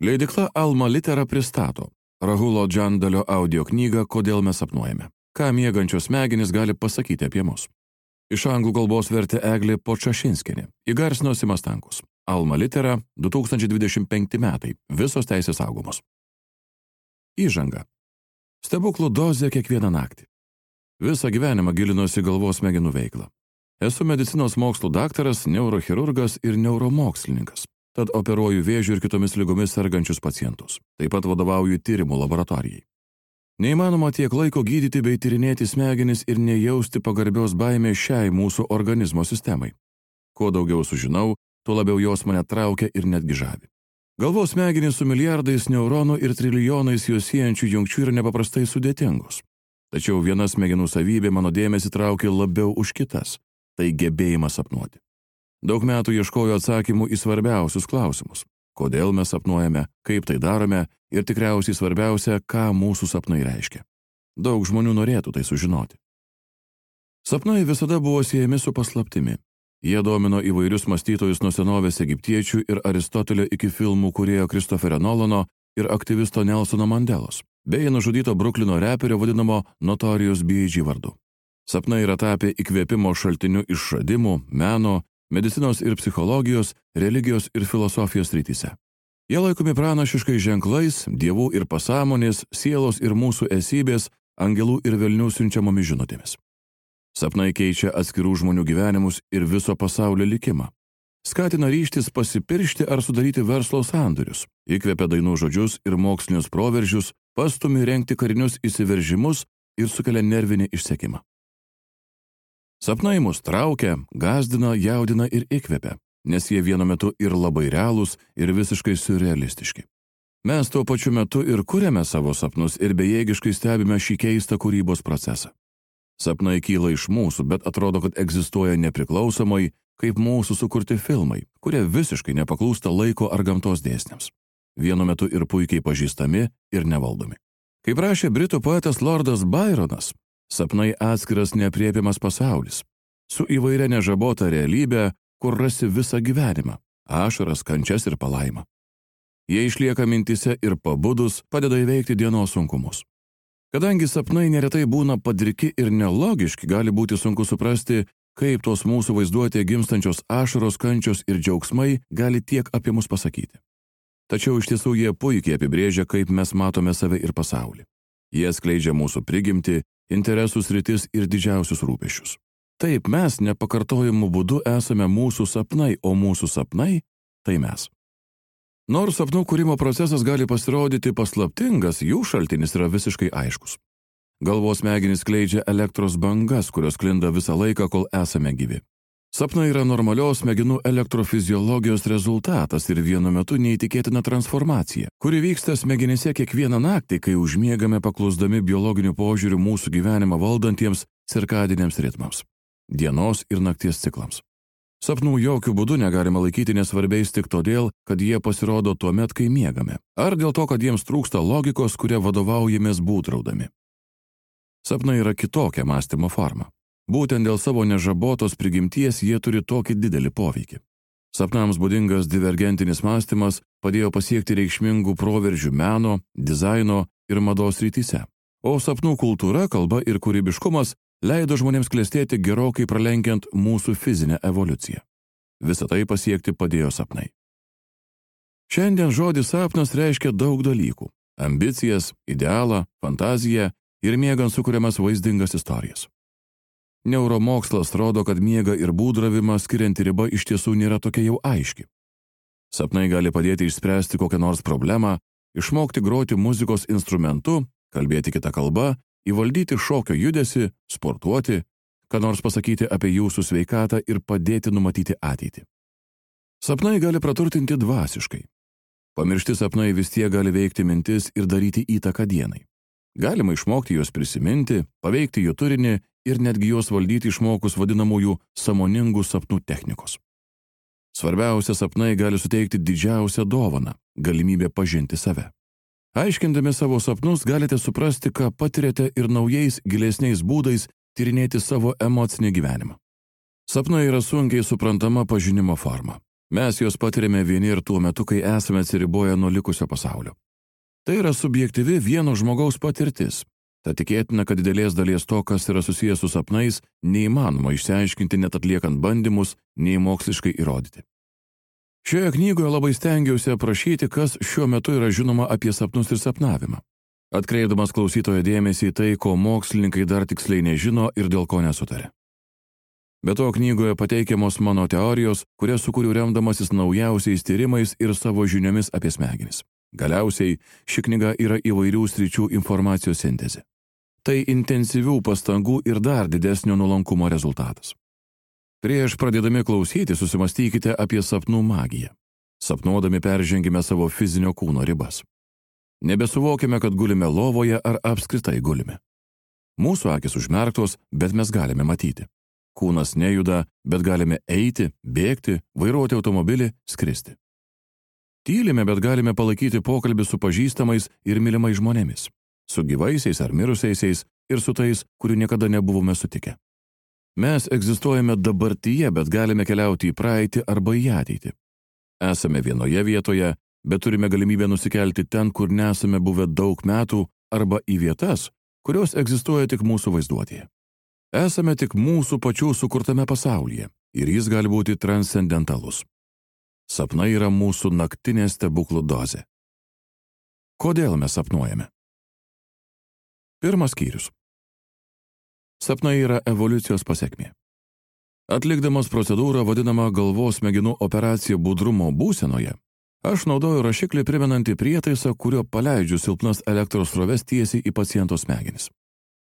Leidykla Alma Litera pristato Rahulo Džandalio audio knygą Kodėl mes sapnuojame. Ką miegančios smegenys gali pasakyti apie mus. Iš anglų kalbos vertė Eglė Podčašinskienė. Įgarsino Simas Stankus. Alma Litera, 2025 metai. Visos teisės saugomos. Įžanga. Stebuklų dozė kiekvieną naktį. Visą gyvenimą gilinosi galvos smegenų veiklą. Esu medicinos mokslų daktaras, neurochirurgas ir neuromokslininkas. Tad operuoju vėžiu ir kitomis ligomis sergančius pacientus. Taip pat vadovauju tyrimų laboratorijai. Neįmanoma tiek laiko gydyti bei tyrinėti smegenis ir nejausti pagarbios baimės šiai mūsų organizmo sistemai. Kuo daugiau sužinau, tuo labiau jos mane traukia ir netgi žavi. Galvos smegenys su milijardais neuronų ir trilijonais juos siejančių jungčių yra nepaprastai sudėtingos. Tačiau viena smegenų savybė mano dėmesį traukia labiau už kitas – tai gebėjimas sapnuoti. Daug metų ieškojo atsakymų į svarbiausius klausimus. Kodėl mes sapnuojame, kaip tai darome ir tikriausiai svarbiausia, ką mūsų sapnai reiškia. Daug žmonių norėtų tai sužinoti. Sapnai visada buvo siejami su paslaptimi. Jie domino įvairius mąstytojus nuo senovės egiptiečių ir Aristotelio iki filmų kūrėjo Kristoferio Nolano ir aktyvisto Nelsono Mandelos, bei nužudyto Bruklino reperio vadinamo Notorious B.I.G. vardu. Sapnai yra tapę įkvėpimo šaltiniu išradimų, meno, medicinos ir psichologijos, religijos ir filosofijos srityse. Jie laikomi pranašiškais ženklais, dievų ir pasąmonės, sielos ir mūsų esybės, angelų ir velnių siunčiamomis žinutėmis. Sapnai keičia atskirų žmonių gyvenimus ir viso pasaulio likimą. Skatina ryžtis pasipiršti ar sudaryti verslo sandorius, įkvepia dainų žodžius ir mokslinius proveržius, pastumi rengti karinius įsiveržimus ir sukelia nervinį išsekimą. Sapnai mus traukia, gąsdina, jaudina ir įkvepia, nes jie vienu metu ir labai realūs, ir visiškai surrealistiški. Mes tuo pačiu metu ir kuriame savo sapnus ir bejėgiškai stebime šį keistą kūrybos procesą. Sapnai kyla iš mūsų, bet atrodo, kad egzistuoja nepriklausomai, kaip mūsų sukurti filmai, kurie visiškai nepaklūsta laiko ar gamtos dėsniams. Vienu metu ir puikiai pažįstami ir nevaldomi. Kaip rašė britų poetas Lordas Byronas, sapnai atskiras neaprėpiamas pasaulis, su įvairia nežabota realybė, kur rasi visą gyvenimą, ašaras, kančias ir palaimą. Jie išlieka mintise ir pabudus padeda įveikti dienos sunkumus. Kadangi sapnai neretai būna padriki ir nelogiški, gali būti sunku suprasti, kaip tos mūsų vaizduotėje gimstančios ašaros, kančios ir džiaugsmai gali tiek apie mus pasakyti. Tačiau iš tiesų jie puikiai apibrėžia, kaip mes matome save ir pasaulį. Jie skleidžia mūsų prigimtį, interesų sritis ir didžiausius rūpesčius. Taip, mes nepakartojamu būdu esame mūsų sapnai, o mūsų sapnai – tai mes. Nors sapnų kūrimo procesas gali pasirodyti paslaptingas, jų šaltinis yra visiškai aiškus. Galvos smegenys skleidžia elektros bangas, kurios sklinda visą laiką, kol esame gyvi. Sapnai yra normalios smegenų elektrofiziologijos rezultatas ir vienu metu neįtikėtina transformacija, kuri vyksta smegenyse kiekvieną naktį, kai užmiegame paklusdami biologiniu požiūriu mūsų gyvenimą valdantiems cirkadiniams ritmams, dienos ir nakties ciklams. Sapnų jokių būdų negalima laikyti nesvarbiais tik todėl, kad jie pasirodo tuo met, kai miegame, ar dėl to, kad jiems trūksta logikos, kuria vadovaujamės būdraudami. Sapnai yra kitokia mąstymo forma. Būtent dėl savo nežabotos prigimties jie turi tokį didelį poveikį. Sapnams būdingas divergentinis mąstymas padėjo pasiekti reikšmingų proveržių meno, dizaino ir mados srityse. O sapnų kultūra, kalba ir kūrybiškumas leido žmonėms klestėti gerokai pralenkiant mūsų fizinę evoliuciją. Visą tai pasiekti padėjo sapnai. Šiandien žodis sapnas reiškia daug dalykų – ambicijas, idealą, fantaziją ir miegant sukuriamas vaizdingas istorijas. Neuromokslas rodo, kad miega ir būdravimą skirianti riba iš tiesų nėra tokia jau aiški. Sapnai gali padėti išspręsti kokią nors problemą, išmokti groti muzikos instrumentu, kalbėti kitą kalbą, įvaldyti šokio judesį, sportuoti, ką nors pasakyti apie jūsų sveikatą ir padėti numatyti ateitį. Sapnai gali praturtinti dvasiškai. Pamiršti sapnai vis tiek gali veikti mintis ir daryti įtaką dienai. Galima išmokti juos prisiminti, paveikti jų turinį ir netgi juos valdyti išmokus vadinamųjų sąmoningų sapnų technikos. Svarbiausia, sapnai gali suteikti didžiausią dovaną – galimybę pažinti save. Aiškindami savo sapnus galite suprasti, ką patiriate ir naujais, gilesniais būdais tyrinėti savo emocinį gyvenimą. Sapnai yra sunkiai suprantama pažinimo forma. Mes juos patiriame vieni ir tuo metu, kai esame atsiriboję nuo likusio pasaulio. Tai yra subjektyvi vieno žmogaus patirtis. Tad tikėtina, kad didelės dalies to, kas yra susijęs su sapnais, neįmanoma išsiaiškinti net atliekant bandymus, nei moksliškai įrodyti. Šioje knygoje labai stengiausi aprašyti, kas šiuo metu yra žinoma apie sapnus ir sapnavimą, atkreipdamas klausytojo dėmesį į tai, ko mokslininkai dar tiksliai nežino ir dėl ko nesutarė. Be to knygoje pateikiamos mano teorijos, kurias sukūriau remdamasis naujausiais tyrimais ir savo žiniomis apie smegenis. Galiausiai, ši knyga yra įvairių sričių informacijos sintezė. Tai intensyvių pastangų ir dar didesnio nuolankumo rezultatas. Prieš pradėdami klausyti, susimastykite apie sapnų magiją. Sapnuodami peržengime savo fizinio kūno ribas. Nebesuvokime, kad gulime lovoje ar apskritai gulime. Mūsų akis užmerktos, bet mes galime matyti. Kūnas nejuda, bet galime eiti, bėgti, vairuoti automobilį, skristi. Tylime, bet galime palaikyti pokalbį su pažįstamais ir mylimais žmonėmis, su gyvaisiais ar mirusiaisiais ir su tais, kurių niekada nebuvome sutikę. Mes egzistuojame dabartyje, bet galime keliauti į praeitį arba į ateitį. Esame vienoje vietoje, bet turime galimybę nusikelti ten, kur nesame buvę daug metų, arba į vietas, kurios egzistuoja tik mūsų vaizduotėje. Esame tik mūsų pačių sukurtame pasaulyje ir jis gali būti transcendentalus. Sapnai yra mūsų naktinė stebuklų dozė. Kodėl mes sapnuojame? Pirmas skyrius. Sapnai yra evoliucijos pasekmė. Atlikdamas procedūrą vadinamą galvos smegenų operacija budrumo būsenoje, aš naudoju rašiklį primenantį prietaisą, kurio paleidžiu silpnas elektros sroves tiesiai į paciento smegenis.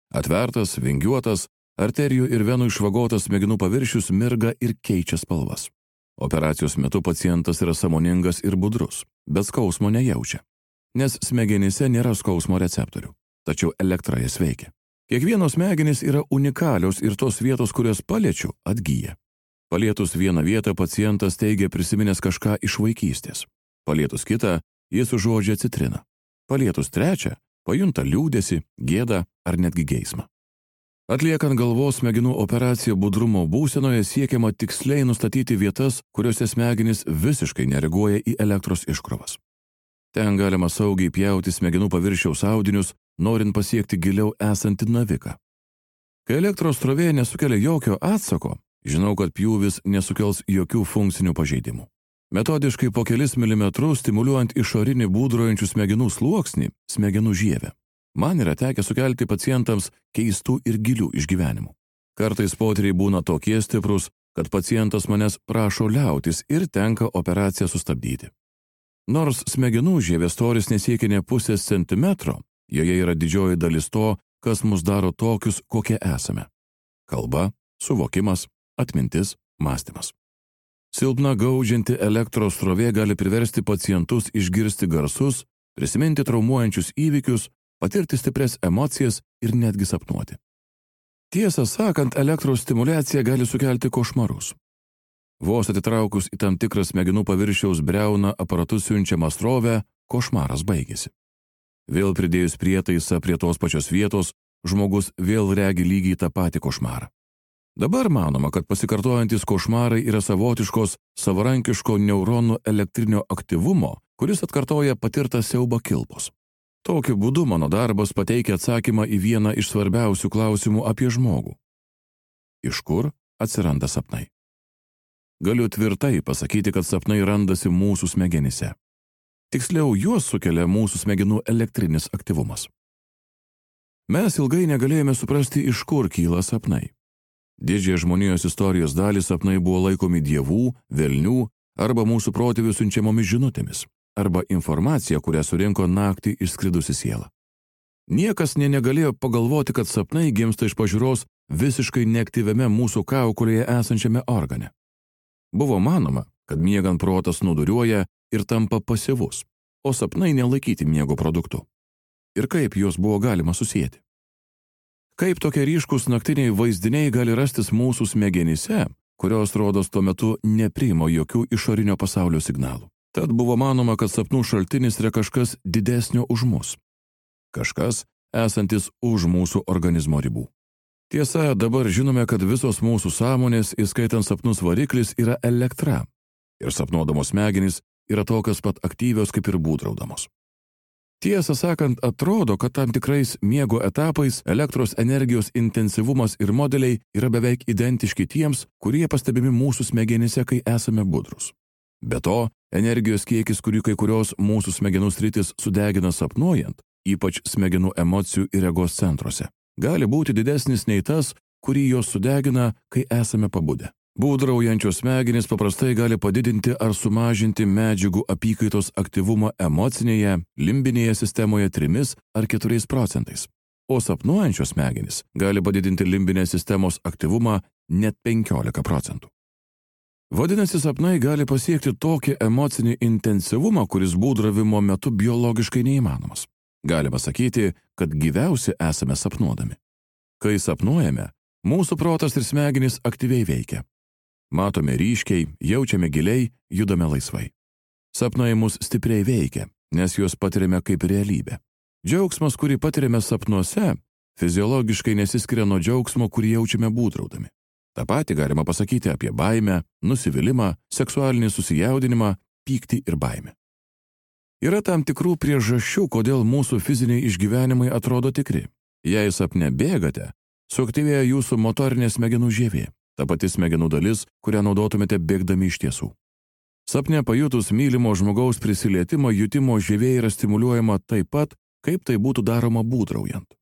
Atvertas, vingiuotas, arterijų ir venų išvagotas smegenų paviršius mirga ir keičia spalvas. Operacijos metu pacientas yra sąmoningas ir budrus, bet skausmo nejaučia, nes smegenyse nėra skausmo receptorių, tačiau elektra jas veikia. Kiekvienos smegenys yra unikalios ir tos vietos, kurias paliečiu, atgyja. Palietus vieną vietą pacientas teigia prisiminęs kažką iš vaikystės. Palietus kitą, jis užuodžia citriną. Palietus trečią, pajunta liūdesį, gėdą ar netgi geismą. Atliekant galvos smegenų operaciją budrumo būsenoje siekiama tiksliai nustatyti vietas, kuriuose smegenys visiškai nereaguoja į elektros iškrovas. Ten galima saugiai pjauti smegenų paviršiaus audinius, norint pasiekti giliau esantį naviką. Kai elektros srovė nesukelia jokio atsako, žinau, kad pjūvis nesukels jokių funkcinių pažeidimų. Metodiškai po kelis milimetrus stimuliuojant išorinį būdrojančių smegenų sluoksnį, smegenų žievę. Man yra tekę sukelti pacientams keistų ir gilių išgyvenimų. Kartais potyriai būna tokie stiprus, kad pacientas manęs prašo liautis ir tenka operaciją sustabdyti. Nors smegenų žievės storis nesiekia nė pusės centimetro, joje yra didžioji dalis to, kas mus daro tokius, kokie esame. Kalba, suvokimas, atmintis, mąstymas. Silpna gaudžianti elektros srovė gali priversti pacientus išgirsti garsus, prisiminti traumuojančius įvykius, patirti stipres emocijas ir netgi sapnuoti. Tiesą sakant, elektros stimuliacija gali sukelti košmarus. Vos atitraukus į tam tikrą smegenų paviršiaus briauną aparatu siunčiamą srovę, košmaras baigėsi. Vėl pridėjus prietaisą prie tos pačios vietos, žmogus vėl regi lygiai tą patį košmarą. Dabar manoma, kad pasikartojantis košmarai yra savotiškos savarankiško neuronų elektrinio aktyvumo, kuris atkartoja patirtą siaubą kilpos. Tokiu būdu mano darbas pateikia atsakymą į vieną iš svarbiausių klausimų apie žmogų. Iš kur atsiranda sapnai? Galiu tvirtai pasakyti, kad sapnai randasi mūsų smegenyse. Tiksliau, juos sukelia mūsų smegenų elektrinis aktyvumas. Mes ilgai negalėjome suprasti, iš kur kyla sapnai. Didžiąją žmonijos istorijos dalį sapnai buvo laikomi dievų, velnių arba mūsų protėvių siunčiamomis žinutėmis, arba informacija, kurią surinko naktį išskridusi siela. Niekas negalėjo pagalvoti, kad sapnai gimsta iš pažiūros visiškai neaktyviame mūsų kaukolėje esančiame organe. Buvo manoma, kad miegant protas nuduriuoja ir tampa pasyvus, o sapnai nelaikyti miego produktu. Ir kaip juos buvo galima susijęti? Kaip tokie ryškus naktiniai vaizdiniai gali rastis mūsų smegenyse, kurios rodos tuo metu nepriima jokių išorinio pasaulio signalų? Tad buvo manoma, kad sapnų šaltinis yra kažkas didesnio už mus. Kažkas, esantis už mūsų organizmo ribų. Tiesa, dabar žinome, kad visos mūsų sąmonės, įskaitant sapnus variklis, yra elektra. ir sapnuodamos smegenys yra tokios pat aktyvios kaip ir būdraudamos. Tiesą sakant, atrodo, kad tam tikrais miego etapais elektros energijos intensyvumas ir modeliai yra beveik identiški tiems, kurie pastebimi mūsų smegenyse, kai esame budrus. Be to, energijos kiekis, kurį kai kurios mūsų smegenų sritis sudegina sapnuojant, ypač smegenų emocijų ir regos centruose, gali būti didesnis nei tas, kurį jos sudegina, kai esame pabudę. Būdraujančios smegenys paprastai gali padidinti ar sumažinti medžiagų apykaitos aktyvumą emocinėje, limbinėje sistemoje 3 ar 4%, o sapnuojančios smegenys gali padidinti limbinės sistemos aktyvumą net 15%. Vadinasi, sapnai gali pasiekti tokį emocinį intensyvumą, kuris būdravimo metu biologiškai neįmanomas. Galima sakyti, kad gyviausi esame sapnuodami. Kai sapnuojame, mūsų protas ir smegenys aktyviai veikia. Matome ryškiai, jaučiame giliai, judame laisvai. Sapnai mus stipriai veikia, nes juos patiriame kaip realybę. Džiaugsmas, kurį patiriame sapnuose, fiziologiškai nesiskiria nuo džiaugsmo, kurį jaučiame būdraudami. Ta pati galima pasakyti apie baimę, nusivylimą, seksualinį susijaudinimą, pyktį ir baimę. Yra tam tikrų priežasčių, kodėl mūsų fiziniai išgyvenimai atrodo tikri. Jei sapne bėgate, suaktyvėja jūsų motorinė smegenų žievė. Ta pati smegenų dalis, kurią naudotumėte bėgdami iš tiesų. Sapne pajutus mylimo žmogaus prisilietimą, jutimo žievė yra stimuliuojama taip pat, kaip tai būtų daroma būdraujant.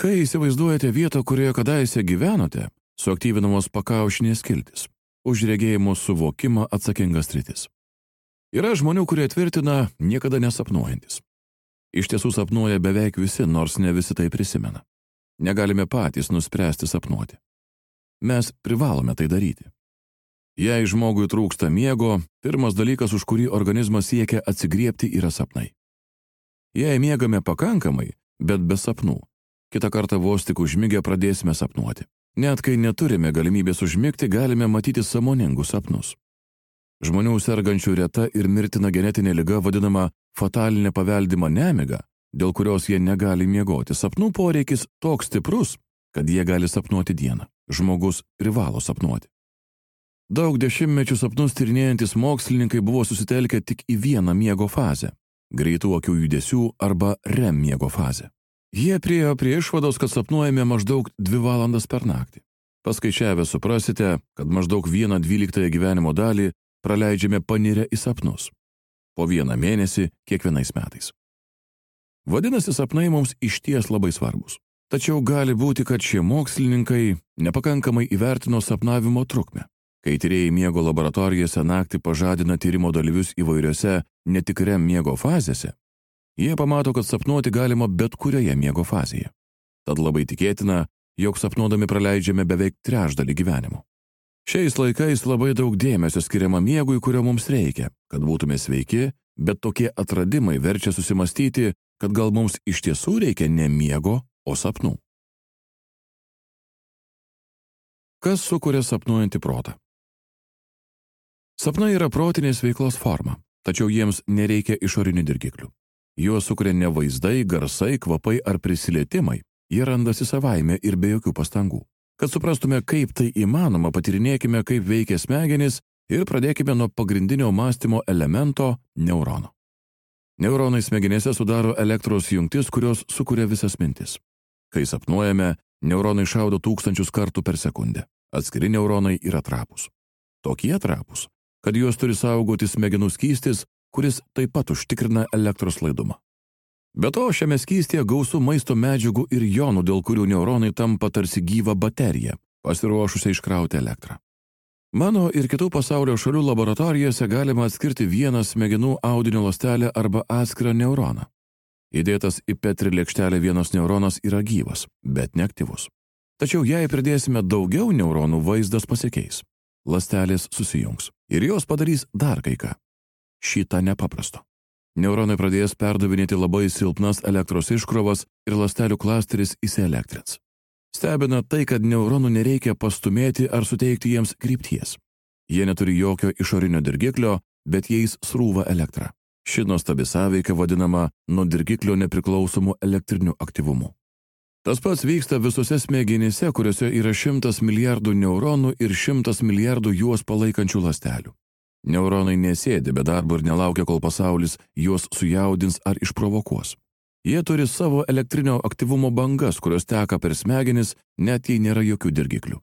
Kai įsivaizduojate vietą, kurioje kadaise gyvenote, suaktyvinamos pakaušinės skiltis, už regėjimo suvokimą atsakingas sritis. Yra žmonių, kurie tvirtina niekada nesapnuojantis. Iš tiesų sapnuoja beveik visi, nors ne visi tai prisimena. Negalime patys nuspręsti sapnuoti. Mes privalome tai daryti. Jei žmogui trūksta miego, pirmas dalykas, už kurį organizmas siekia atsigriebti, yra sapnai. Jei miegame pakankamai, bet be sapnų, kitą kartą vos tik užmigę pradėsime sapnuoti. Net kai neturime galimybės užmigti, galime matyti sąmoningus sapnus. Žmonių sergančių reta ir mirtina genetinė liga vadinama fatalinė paveldima nemiga, dėl kurios jie negali miegoti. Sapnų poreikis toks stiprus, kad jie gali sapnuoti dieną. Žmogus privalo sapnuoti. Daug dešimtmečių sapnus tyrinėjantis mokslininkai buvo susitelkę tik į vieną miego fazę – greitų akių judesių arba REM miego fazę. Jie priėjo prie išvados, kad sapnuojame maždaug 2 valandas per naktį. Paskaičiavę suprasite, kad maždaug 1/12 gyvenimo dalį praleidžiame panirę į sapnus. Po 1 mėnesį kiekvienais metais. Vadinasi, sapnai mums išties labai svarbus. Tačiau gali būti, kad šie mokslininkai nepakankamai įvertino sapnavimo trukmę. Kai tyrėjai miego laboratorijose naktį pažadina tyrimo dalyvius įvairiose ne tik REM miego fazėse, jie pamato, kad sapnuoti galima bet kurioje miego fazėje. Tad labai tikėtina, jog sapnuodami praleidžiame beveik trečdalį gyvenimo. Šiais laikais labai daug dėmesio skiriama miegui, kurio mums reikia, kad būtume sveiki, bet tokie atradimai verčia susimastyti, kad gal mums iš tiesų reikia ne miego, o sapnų. Kas sukuria sapnuojantį protą? Sapnai yra protinės veiklos forma, tačiau jiems nereikia išorinių dirgiklių. Juos sukuria ne vaizdai, garsai, kvapai ar prisilietimai, jie randasi savaime ir be jokių pastangų. Kad suprastume, kaip tai įmanoma, patyrinėkime, kaip veikia smegenys ir pradėkime nuo pagrindinio mąstymo elemento – neurono. Neuronai smegenėse sudaro elektros jungtis, kurios sukuria visas mintis. Kai sapnuojame, neuronai šaudo 1000 kartų per sekundę. Atskiri neuronai yra trapūs. Tokie trapūs, kad juos turi saugoti smegenų skystis, kuris taip pat užtikrina elektros laidumą. Be to, šiame skystyje gausu maisto medžiagų ir jonų, dėl kurių neuronai tampa tarsi gyva baterija, pasiruošusia iškrauti elektrą. Mano ir kitų pasaulio šalių laboratorijose galima atskirti vieną smegenų audinio ląstelę arba atskirą neuroną. Įdėtas į Petri lėkštelę vienas neuronas yra gyvas, bet neaktyvus. Tačiau jei pridėsime daugiau neuronų, vaizdas pasikeis. Ląstelės susijungs ir jos padarys dar kai ką. Šitą nepaprasto. Neuronai pradės perdavinėti labai silpnas elektros iškrovas ir ląstelių klasteris įsielektrins. Stebina tai, kad neuronų nereikia pastumėti ar suteikti jiems krypties. Jie neturi jokio išorinio dirgiklio, bet jais srūva elektra. Ši nuostabi sąveika vadinama nuo dirgiklio nepriklausomų elektrinių aktyvumų. Tas pats vyksta visose smegenyse, kuriuose yra 100 milijardų neuronų ir 100 milijardų juos palaikančių ląstelių. Neuronai nesėdi be darbo ir nelaukia, kol pasaulis juos sujaudins ar išprovokuos. Jie turi savo elektrinio aktyvumo bangas, kurios teka per smegenis, net jei nėra jokių dirgiklių.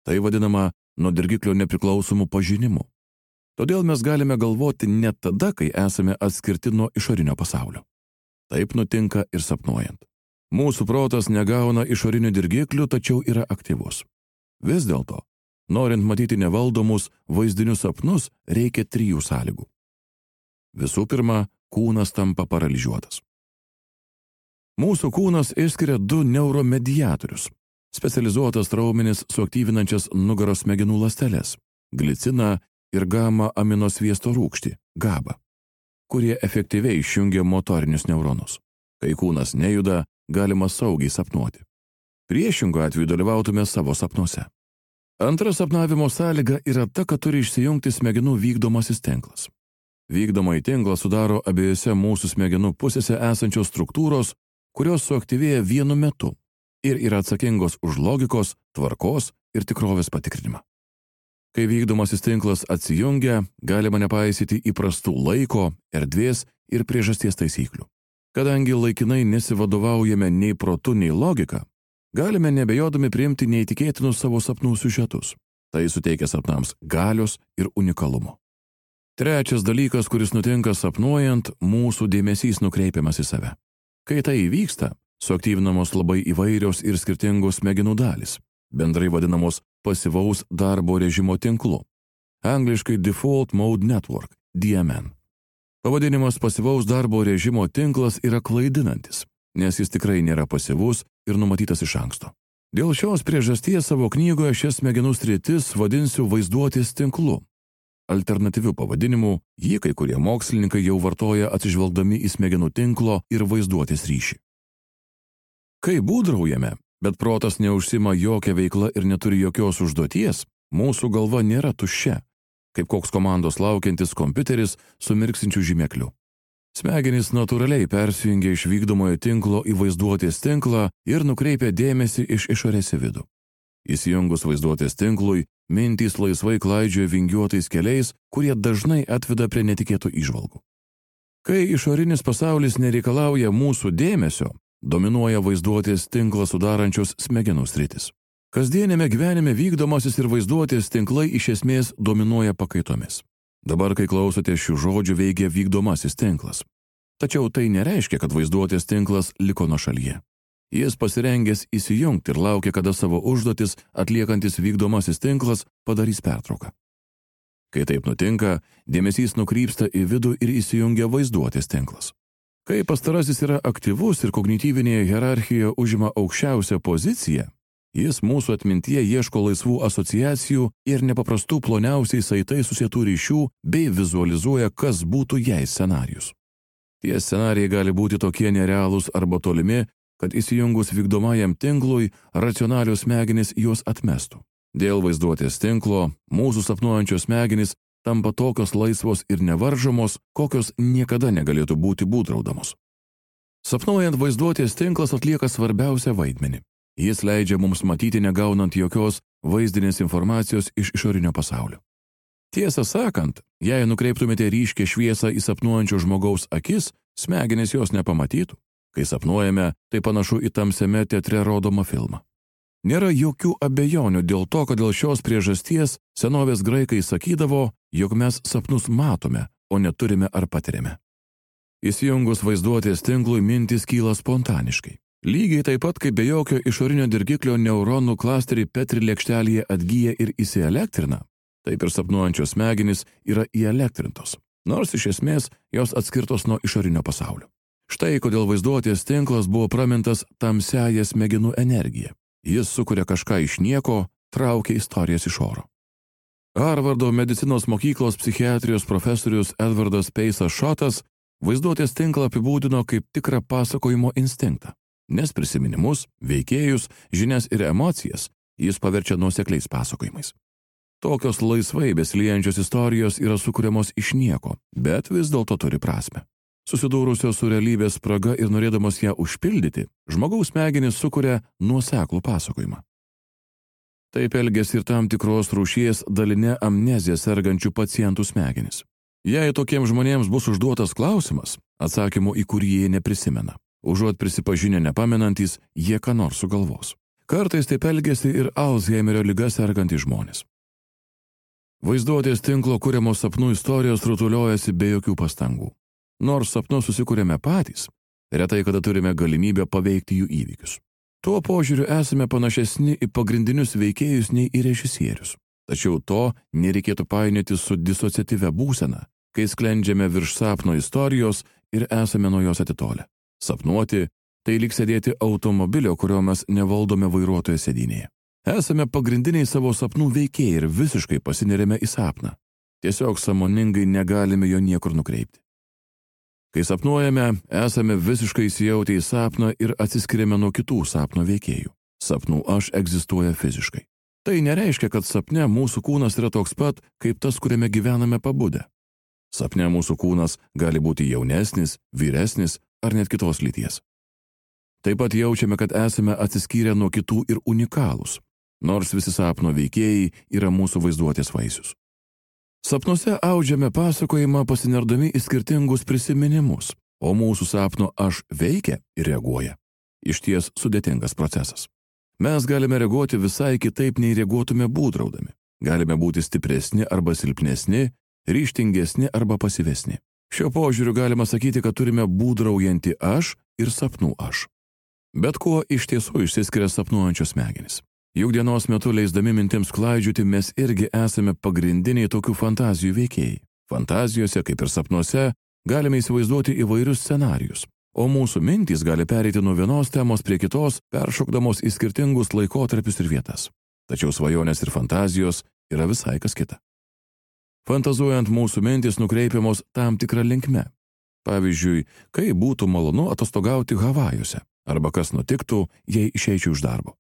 Tai vadinama nuo dirgiklio nepriklausomų pažinimu. Todėl mes galime galvoti net tada, kai esame atskirti nuo išorinio pasaulio. Taip nutinka ir sapnuojant. Mūsų protas negauna išorinių dirgiklių, tačiau yra aktyvus. Vis dėlto, norint matyti nevaldomus vaizdinius sapnus, reikia 3 sąlygų. Visų pirma, kūnas tampa paralyžiuotas. Mūsų kūnas išskiria 2 neuromediatorius – specializuotas raumenis suaktyvinančias nugaros smegenų ląsteles – gliciną ir gamma aminosviesto rūgštį – GABA, kurie efektyviai išjungia motorinius neuronus. Kai kūnas nejuda, galima saugiai sapnuoti. Priešingu atveju dalyvautume savo sapnuose. Antra sapnavimo sąlyga yra ta, kad turi išsijungti smegenų vykdomasis tinklas. Vykdomąjį tinklą sudaro abiejose mūsų smegenų pusėse esančios struktūros, kurios suaktyvėja vienu metu ir yra atsakingos už logikos, tvarkos ir tikrovės patikrinimą. Kai vykdomasis tinklas atsijungia, galima nepaisyti įprastų laiko, erdvės ir priežasties taisyklių. Kadangi laikinai nesivadovaujame nei protu, nei logika, galime nebejodami priimti neįtikėtinus savo sapnų siužetus. Tai suteikia sapnams galios ir unikalumo. Trečias dalykas, kuris nutinka sapnuojant, mūsų dėmesys nukreipiamas į save. Kai tai įvyksta, suaktyvinamos labai įvairios ir skirtingos smegenų dalys, bendrai vadinamos pasyvaus darbo režimo tinklu, angliškai Default Mode Network, DMN. Pavadinimas pasyvaus darbo režimo tinklas yra klaidinantis, nes jis tikrai nėra pasyvus ir numatytas iš anksto. Dėl šios priežasties savo knygoje šias smegenų sritis vadinsiu vaizduotės tinklu. Alternatyvių pavadinimų jį kai kurie mokslininkai jau vartoja atsižvelgdami į smegenų tinklo ir vaizduotės ryšį. Kai būdraujame, bet protas neužsima jokia veikla ir neturi jokios užduoties, mūsų galva nėra tuščia, kaip koks komandos laukiantis kompiuteris su mirksinčiu žymekliu. Smegenys natūraliai persijungia iš vykdomojo tinklo į vaizduotės tinklą ir nukreipia dėmesį iš išorės į vidų. Įsijungus vaizduotės tinklui, mintys laisvai klaidžioja vingiuotais keliais, kurie dažnai atveda prie netikėtų įžvalgų. Kai išorinis pasaulis nereikalauja mūsų dėmesio, dominuoja vaizduotės tinklą sudarančios smegenų sritis. Kasdienėme gyvenime vykdomasis ir vaizduotės tinklai iš esmės dominuoja pakaitomis. Dabar, kai klausote šių žodžių, veikia vykdomasis tinklas. Tačiau tai nereiškia, kad vaizduotės tinklas liko nuošalyje. Jis pasirengęs įsijungti ir laukia, kada savo užduotis atliekantis vykdomasis tinklas padarys pertrauką. Kai taip nutinka, dėmesys nukrypsta į vidų ir įsijungia vaizduotės tinklas. Kai pastarasis yra aktyvus ir kognityvinėje hierarchijoje užima aukščiausią poziciją, jis mūsų atmintyje ieško laisvų asociacijų ir nepaprastų ploniausiai saitai susietų ryšių bei vizualizuoja, kas būtų jei scenarijus. Tie scenarijai gali būti tokie nerealūs arba tolimi, kad įsijungus vykdomajam tinklui, racionalios smegenys juos atmestų. Dėl vaizduotės tinklo mūsų sapnuojančios smegenys tampa tokios laisvos ir nevaržomos, kokios niekada negalėtų būti būdraudamos. Sapnuojant, vaizduotės tinklas atlieka svarbiausią vaidmenį. Jis leidžia mums matyti, negaunant jokios vaizdinės informacijos iš išorinio pasaulio. Tiesą sakant, jei nukreiptumėte ryškią šviesą į sapnuojančio žmogaus akis, smegenys jos nepamatytų. Kai sapnuojame, tai panašu į tamsiame teatre rodomą filmą. Nėra jokių abejonių dėl to, kad dėl šios priežasties senovės graikai sakydavo, jog mes sapnus matome, o neturime ar patiriame. Įsijungus vaizduotės tinklui mintys kyla spontaniškai. Lygiai taip pat, kaip be jokio išorinio dirgiklio neuronų klasteriai Petri lėkštelėje atgyja ir įsielektrina, taip ir sapnuojančios smegenys yra įelektrintos, nors iš esmės jos atskirtos nuo išorinio pasaulio. Štai kodėl vaizduotės tinklas buvo pramintas tamsiąją smegenų energiją. Jis sukuria kažką iš nieko, traukia istorijas iš oro. Harvardo medicinos mokyklos psichiatrijos profesorius Edvardas Peisas Šotas vaizduotės tinklą apibūdino kaip tikrą pasakojimo instinktą, nes prisiminimus, veikėjus, žinias ir emocijas jis paverčia nuosekliais pasakojimais. Tokios laisvai besiliejančios istorijos yra sukuriamos iš nieko, bet vis dėlto turi prasmę. Susidūrusios su realybės spraga ir norėdamos ją užpildyti, žmogaus smegenys sukuria nuoseklų pasakojimą. Taip elgesi ir tam tikros rūšies daline amnezija sergančių pacientų smegenys. Jei tokiems žmonėms bus užduotas klausimas, atsakymo į kurį jie neprisimena, užuot prisipažinę nepamenantys, jie ką nors sugalvos. Kartais taip elgesi ir Alzheimerio liga sergantys žmonės. Vaizduotės tinklo kuriamos sapnų istorijos rutuliojasi be jokių pastangų. Nors sapnus susikūrėme patys, retai kada turime galimybę paveikti jų įvykius. Tuo požiūriu esame panašesni į pagrindinius veikėjus nei į režisierius. Tačiau to nereikėtų painioti su disociatyvia būsena, kai sklendžiame virš sapno istorijos ir esame nuo jos atitolę. Sapnuoti – tai lyg sėdėti automobilio, kurio mes nevaldome vairuotojo sėdynėje. Esame pagrindiniai savo sapnų veikėjai ir visiškai pasinerėme į sapną. Tiesiog sąmoningai negalime jo niekur nukreipti. Kai sapnuojame, esame visiškai įsijautę į sapną ir atsiskiriame nuo kitų sapno veikėjų. Sapnų aš egzistuoja fiziškai. Tai nereiškia, kad sapne mūsų kūnas yra toks pat, kaip tas, kuriame gyvename pabudę. Sapne mūsų kūnas gali būti jaunesnis, vyresnis ar net kitos lyties. Taip pat jaučiame, kad esame atsiskyrę nuo kitų ir unikalūs, nors visi sapno veikėjai yra mūsų vaizduotės vaisius. Sapnuose audžiame pasakojimą pasinerdami į skirtingus prisiminimus, o mūsų sapno aš veikia ir reaguoja. Išties sudėtingas procesas. Mes galime reaguoti visai kitaip, nei reaguotume būdraudami. Galime būti stipresni arba silpnesni, ryžtingesni arba pasyvesni. Šio požiūriu galima sakyti, kad turime būdraujantį aš ir sapnų aš. Bet kuo iš tiesų išsiskiria sapnuojančios smegenys? Juk dienos metu leisdami mintims klaidžioti mes irgi esame pagrindiniai tokių fantazijų veikėjai. Fantazijose, kaip ir sapnuose, galime įsivaizduoti įvairius scenarijus, o mūsų mintys gali pereiti nuo vienos temos prie kitos, peršokdamos į skirtingus laikotarpius ir vietas. Tačiau svajonės ir fantazijos yra visai kas kita. Fantazuojant mūsų mintys nukreipiamos tam tikrą linkme. Pavyzdžiui, kaip būtų malonu atostogauti Havajuose, arba kas nutiktų, jei išeičiau iš darbo.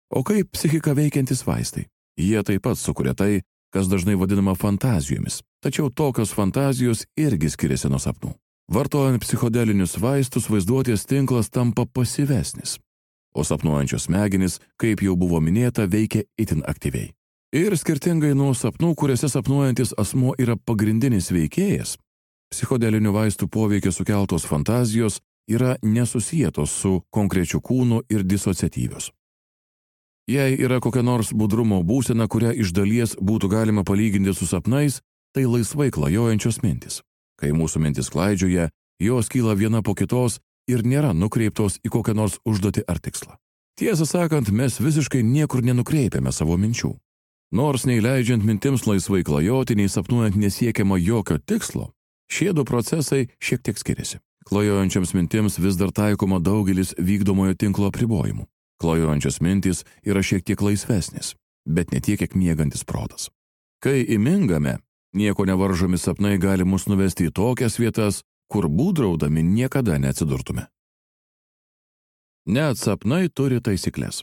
O kaip psichika veikiantis vaistai? Jie taip pat sukuria tai, kas dažnai vadinama fantazijomis, tačiau tokios fantazijos irgi skiriasi nuo sapnų. Vartojant psichodelinius vaistus, vaizduotės tinklas tampa pasyvesnis, o sapnuojančios smegenys, kaip jau buvo minėta, veikia itin aktyviai. Ir skirtingai nuo sapnų, kuriuose sapnuojantis asmuo yra pagrindinis veikėjas, psichodelinių vaistų poveikio sukeltos fantazijos yra nesusietos su konkrečiu kūnu ir disociatyvios. Jei yra kokia nors budrumo būsena, kurią iš dalies būtų galima palyginti su sapnais, tai laisvai klajojančios mintis. Kai mūsų mintis klaidžioja, jos kyla viena po kitos ir nėra nukreiptos į kokią nors užduotį ar tikslą. Tiesą sakant, mes visiškai niekur nenukreipiame savo minčių. Nors nei leidžiant mintims laisvai klajoti, nei sapnuojant nesiekiama jokio tikslo, šie du procesai šiek tiek skiriasi. Klajojančiams mintims vis dar taikoma daugelis vykdomojo tinklo apribojimų. Klajojančios mintys yra šiek tiek laisvesnis, bet ne tiek, kiek miegantis protas. Kai įmingame, nieko nevaržomi sapnai gali mus nuvesti į tokias vietas, kur būdraudami niekada neatsidurtume. Net sapnai turi taisyklės.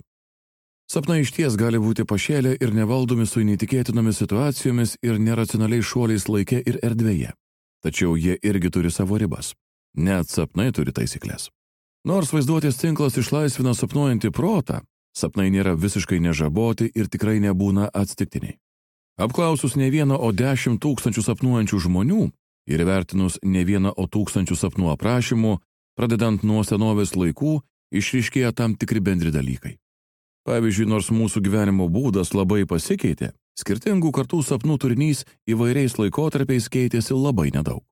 Sapnai išties gali būti pašėlę ir nevaldomi su neįtikėtinomis situacijomis ir neracionaliais šuoliais laike ir erdvėje. Tačiau jie irgi turi savo ribas. Net sapnai turi taisyklės. Nors vaizduotės tinklas išlaisvina sapnuojantį protą, sapnai nėra visiškai nežaboti ir tikrai nebūna atsitiktiniai. Apklausus ne vieną, o 10 000 sapnuojančių žmonių ir įvertinus ne vieną, o 1000 sapnų aprašymų, pradedant nuo senovės laikų, išryškėja tam tikri bendri dalykai. Pavyzdžiui, nors mūsų gyvenimo būdas labai pasikeitė, skirtingų kartų sapnų turinys įvairiais laikotarpiais keitėsi labai nedaug.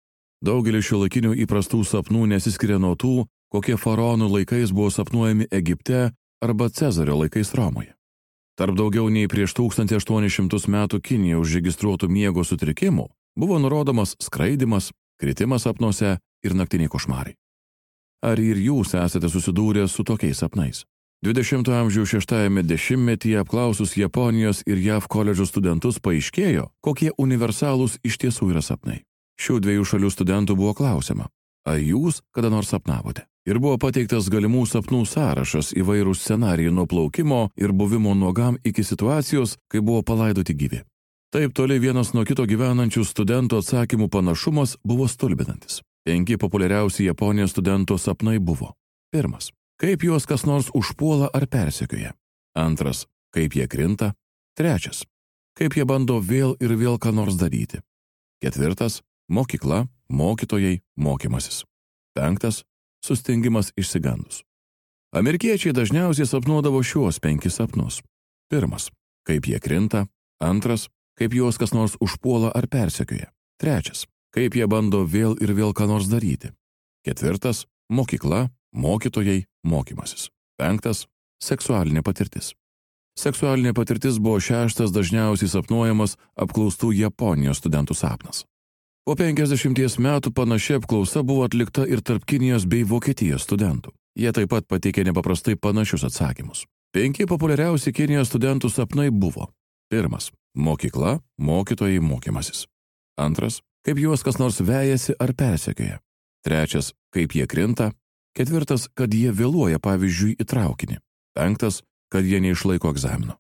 Daugelis šiuolaikinių įprastų sapnų nesiskiria nuo tų, kokie faraonų laikais buvo sapnuojami Egipte arba Cezario laikais Romoje. Tarp daugiau nei prieš 1800 metų Kinijoje užregistruotų miego sutrikimų buvo nurodomas skraidymas, kritimas sapnuose ir naktiniai košmarai. Ar ir jūs esate susidūrę su tokiais sapnais? 20-ojo amžiaus 6-ame dešimtmetyje apklausus Japonijos ir JAV koledžų studentus paaiškėjo, kokie universalūs iš tiesų yra sapnai. Šių dviejų šalių studentų buvo klausiama, ar jūs kada nors sapnavote? Ir buvo pateiktas galimų sapnų sąrašas, įvairūs scenarijai nuo plaukimo ir buvimo nuogam iki situacijos, kai buvo palaidoti gyvi. Taip toli vienas nuo kito gyvenančių studentų atsakymų panašumas buvo stulbinantis. 5 populiariausi Japonijos studentų sapnai buvo. 1. Kaip juos kas nors užpuola ar persekioja. 2. kaip jie krinta. 3. Kaip jie bando vėl ir vėl ką nors daryti. 4. Mokykla, mokytojai, mokymasis. 5. Sustingimas išsigandus. Amerikiečiai dažniausiai sapnuodavo šiuos 5 sapnus. 1. Kaip jie krinta. 2. Kaip juos kas nors užpuola ar persekioja. 3. Kaip jie bando vėl ir vėl ką nors daryti. 4. Mokykla, mokytojai, mokymasis. 5. Seksualinė patirtis. Seksualinė patirtis buvo 6. dažniausiai sapnuojamas apklaustų Japonijos studentų sapnas. Po 50 metų panaši apklausa buvo atlikta ir tarp Kinijos bei Vokietijos studentų. Jie taip pat pateikė nepaprastai panašius atsakymus. 5 populiariausi Kinijos studentų sapnai buvo: 1. Mokykla, mokytojai, mokymasis. 2. Kaip juos kas nors vejasi ar persekioja. 3. Kaip jie krinta. 4. Kad jie vėluoja, pavyzdžiui, į traukinį. 5. Kad jie neišlaiko egzamino.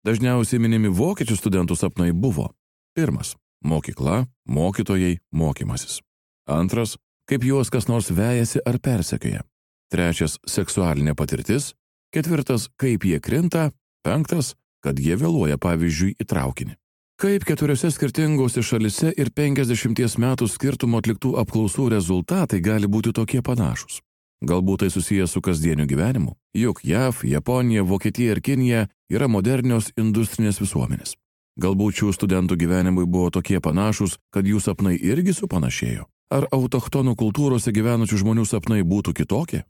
Dažniausiai minimi vokiečių studentų sapnai buvo: 1. Mokykla, mokytojai, mokymasis. 2. Kaip juos kas nors vejasi ar persekioja. 3. Seksualinė patirtis. 4. Kaip jie krinta. 5. Kad jie vėluoja, pavyzdžiui, į traukinį. Kaip 4 skirtingose šalise ir 50 metų skirtumo atliktų apklausų rezultatai gali būti tokie panašus? Galbūt tai susijęs su kasdieniu gyvenimu, juk JAV, Japonija, Vokietija ir Kinija yra modernios industrinės visuomenės. Galbūt šių studentų gyvenimai buvo tokie panašus, kad jų sapnai irgi supanašėjo. Ar autochtonų kultūrose gyvenusių žmonių sapnai būtų kitokie?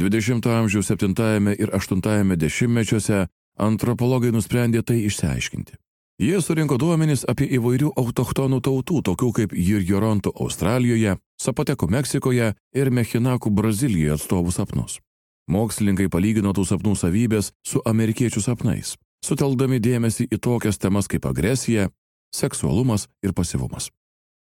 20 amžiaus 7 ir 8 dešimtmečiuose antropologai nusprendė tai išsiaiškinti. Jie surinko duomenis apie įvairių autochtonų tautų, tokių kaip Jirjorontų Australijoje, Sapotekų Meksikoje ir Mechinakų Brazilijoje atstovų sapnus. Mokslininkai palygino tų sapnų savybės su amerikiečių sapnais, sutelkdami dėmesį į tokias temas kaip agresija, seksualumas ir pasyvumas.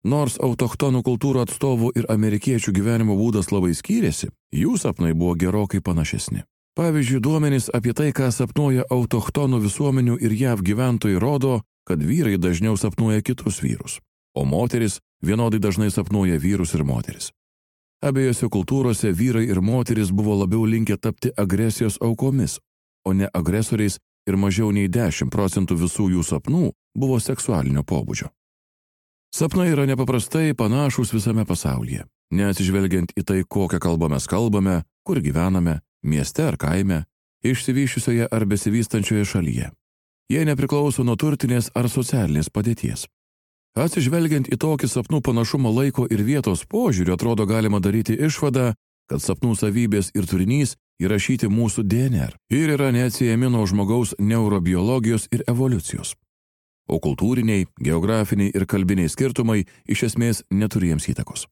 Nors autochtonų kultūrų atstovų ir amerikiečių gyvenimo būdas labai skyrėsi, jų sapnai buvo gerokai panašesni. Pavyzdžiui, duomenys apie tai, ką sapnuoja autochtonų visuomenių ir JAV gyventojai, rodo, kad vyrai dažniau sapnuoja kitus vyrus, o moteris vienodai dažnai sapnuoja vyrus ir moteris. Abiejose kultūrose vyrai ir moteris buvo labiau linkę tapti agresijos aukomis, o ne agresoriais, ir mažiau nei 10% visų jų sapnų buvo seksualinio pobūdžio. Sapnai yra nepaprastai panašūs visame pasaulyje, neatsižvelgiant į tai, kokią kalbą mes kalbame, kur gyvename, mieste ar kaime, išsivysčiusioje ar besivystančioje šalyje. Jie nepriklauso nuo turtinės ar socialinės padėties. Atsižvelgiant į tokį sapnų panašumo laiko ir vietos požiūrį, atrodo galima daryti išvadą, kad sapnų savybės ir turinys įrašyti mūsų DNR ir yra neatsiejami nuo žmogaus neurobiologijos ir evoliucijos. O kultūriniai, geografiniai ir kalbiniai skirtumai iš esmės neturi jiems įtakos.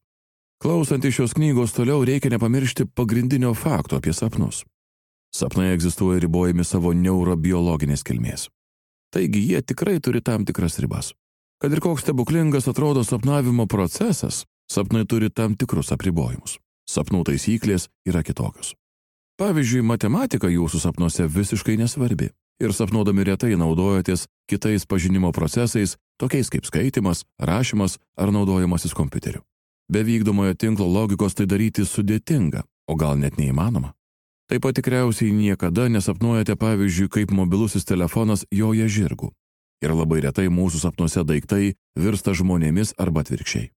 Klausant iš šios knygos toliau reikia nepamiršti pagrindinio fakto apie sapnus. Sapnai egzistuoja ribojami savo neurobiologinės kilmės. Taigi jie tikrai turi tam tikras ribas. Kad ir koks stebuklingas atrodo sapnavimo procesas, sapnai turi tam tikrus apribojimus. Sapnų taisyklės yra kitokios. Pavyzdžiui, matematika jūsų sapnuose visiškai nesvarbi ir sapnuodami retai naudojatės kitais pažinimo procesais, tokiais kaip skaitimas, rašymas ar naudojimasis kompiuteriu. Be vykdomojo tinklo logikos tai daryti sudėtinga, o gal net neįmanoma. Taip pat tikriausiai niekada nesapnuojate, pavyzdžiui, kaip mobilusis telefonas joja žirgu. Ir labai retai mūsų sapnuose daiktai virsta žmonėmis arba atvirkščiai.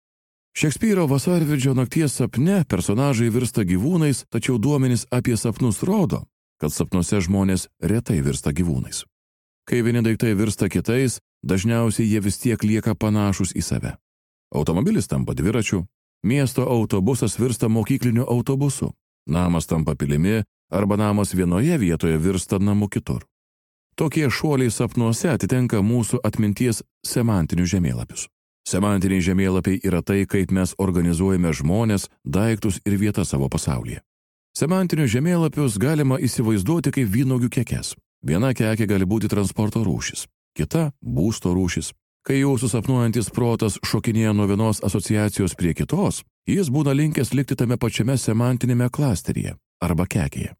Šekspyro Vasarvidžio nakties sapne personažai virsta gyvūnais, tačiau duomenys apie sapnus rodo, kad sapnuose žmonės retai virsta gyvūnais. Kai vieni daiktai virsta kitais, dažniausiai jie vis tiek lieka panašus į save. Automobilis tampa dviračiu, miesto autobusas virsta mokykliniu autobusu, namas tampa pilimi arba namas vienoje vietoje virsta namu kitur. Tokie šuoliai sapnuose atitenka mūsų atminties semantinius žemėlapius. Semantiniai žemėlapiai yra tai, kaip mes organizuojame žmones, daiktus ir vietas savo pasaulyje. Semantinius žemėlapius galima įsivaizduoti kaip vynuogių kekes. Viena kekė gali būti transporto rūšis, kita būsto rūšis. Kai jūsų sapnuojantis protas šokinėja nuo vienos asociacijos prie kitos, jis būna linkęs likti tame pačiame semantinėme klasteryje arba kekėje.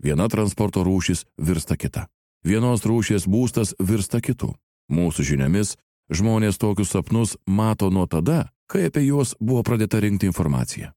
Viena transporto rūšis virsta kita. Vienos rūšies būstas virsta kitu. Mūsų žiniomis, žmonės tokius sapnus mato nuo tada, kai apie juos buvo pradėta rinkti informacija.